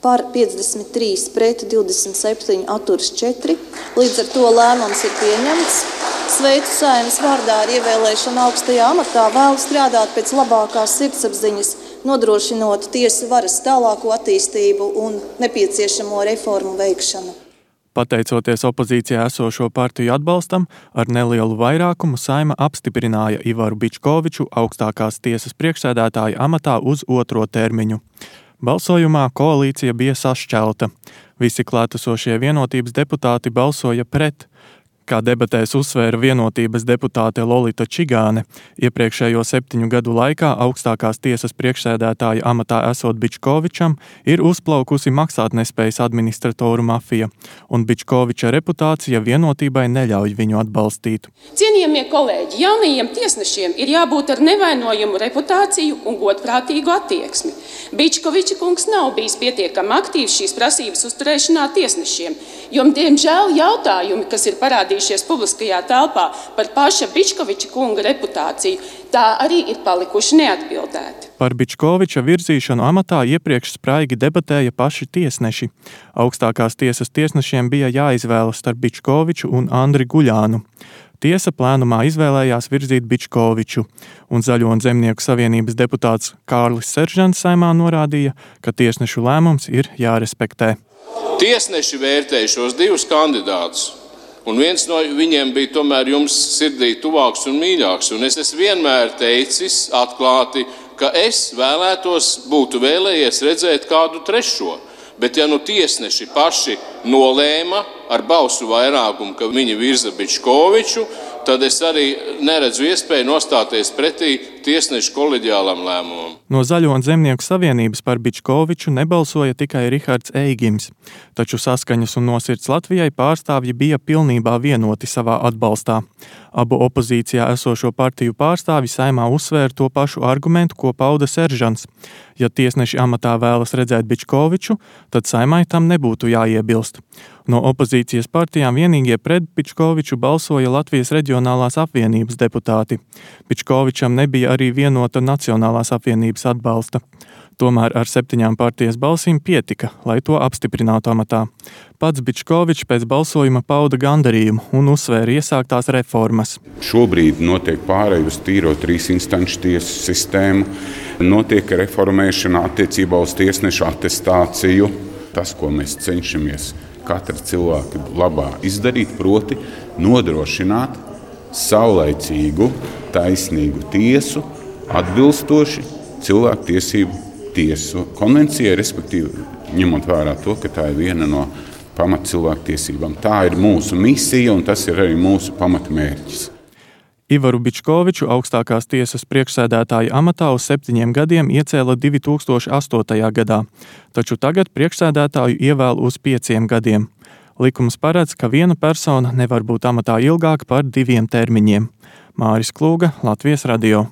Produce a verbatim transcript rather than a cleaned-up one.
par piecdesmit trīs pret divdesmit septiņi atturas četri. Līdz ar to lēmums ir pieņemts. Sveicu Saeimas vārdā ar ievēlēšanu augstajā amatā, vēlu strādāt pēc labākās sirdsapziņas, nodrošinot tiesu varas tālāko attīstību un nepieciešamo reformu veikšanu. Pateicoties opozīcijā esošo partiju atbalstam, ar nelielu vairākumu Saeima apstiprināja Ivaru Bičkoviču augstākās tiesas priekšsēdētāja amatā uz otro termiņu. Balsojumā koalīcija bija sašķelta. Visi klātesošie Vienotības deputāti balsoja pret. Kā debatēs uzsvēra Vienotības deputāte Lolita Čigāne, iepriekšējo septiņu gadu laikā augstākās tiesas priekšsēdētāja amatā esot Bičkovičam ir uzplaukusi maksātnespējas administratoru mafija, un Bičkoviča reputācija Vienotībai neļauj viņu atbalstīt. Cienījamie kolēģi, jaunajiem tiesnešiem ir jābūt ar nevainojumu reputāciju un godprātīgu attieksmi. Bičkoviča kungs nav bijis pietiekami aktīvs šīs prasības uzturēšanā tiesnešiem, jo, diemžēl, jautājumi, kas ir parādījušies publiskajā telpā par paša Bičkoviča kunga reputāciju, tā arī ir palikuši neatbildēti. Par Bičkoviča virzīšanu amatā iepriekš spraigi debatēja paši tiesneši. Augstākās tiesas tiesnešiem bija jāizvēlas starp Bičkoviču un Andri Guļānu. Tiesa plēnumā izvēlējās virzīt Bičkoviču, un Zaļo un Zemnieku savienības deputāts Kārlis Seržants Saeimā norādīja, ka tiesnešu lēmums ir jārespektē. Tiesneši vērtēja šos divus kandidātus, un viens no viņiem bija tomēr jums sirdī tuvāks un mīļāks, un es esmu vienmēr teicis atklāti, ka es vēlētos būtu vēlējies redzēt kādu trešo. Bet ja nu tiesneši paši nolēma ar balsu vairākumu, ka viņi virza Bičkoviču, tad es arī neredzu iespēju nostāties pretī tiesnešu koleģiālam lēmumam. No Zaļo un Zemnieku savienības par Bičkoviču nebalsoja tikai Rihards Eigims, taču Saskaņas un Nosirds Latvijai pārstāvji bija pilnībā vienoti savā atbalstā. Abu opozīcijā esošo partiju pārstāvji Saeimā uzsvēra to pašu argumentu, ko pauda Seržants. Ja tiesneši amatā vēlas redzēt Bičkoviču, tad Saeimai tam nebūtu jāiebilst. No opozīcijas partijām vienīgie pret Bičkoviču balsoja Latvijas Reģionālās apvienības deputāti. Bičkovičam nebija arī vienota Nacionālās apvienības atbalsta. Tomēr ar septiņām partijas balsīm pietika, lai to apstiprinātu amatā. Pats Bičkovičs pēc balsojuma pauda gandarījumu un uzsvēra iesāktās reformas. Šobrīd notiek pārēj uz tīro trīs instanču tiesu sistēmu, notiek reformēšana attiecībā uz tiesnešu atestāciju. Tas, ko mēs cenšamies katra cilvēka labā izdarīt, proti nodrošināt saulaicīgu, taisnīgu tiesu, atbilstoši cilvēku tiesību tiesu konvencijai, respektīvi ņemot vērā to, ka tā ir viena no pamat cilvēku tiesībām. Tā ir mūsu misija un tas ir arī mūsu pamatmērķis. Ivaru Bičkoviču augstākās tiesas priekšsēdētāja amatā uz septiņiem gadiem iecēla divi tūkstoši astotajā gadā, taču tagad priekšsēdētāju ievēl uz pieciem gadiem. Likums paredz, ka viena persona nevar būt amatā ilgāk par diviem termiņiem. Māris Klūga, Latvijas radio.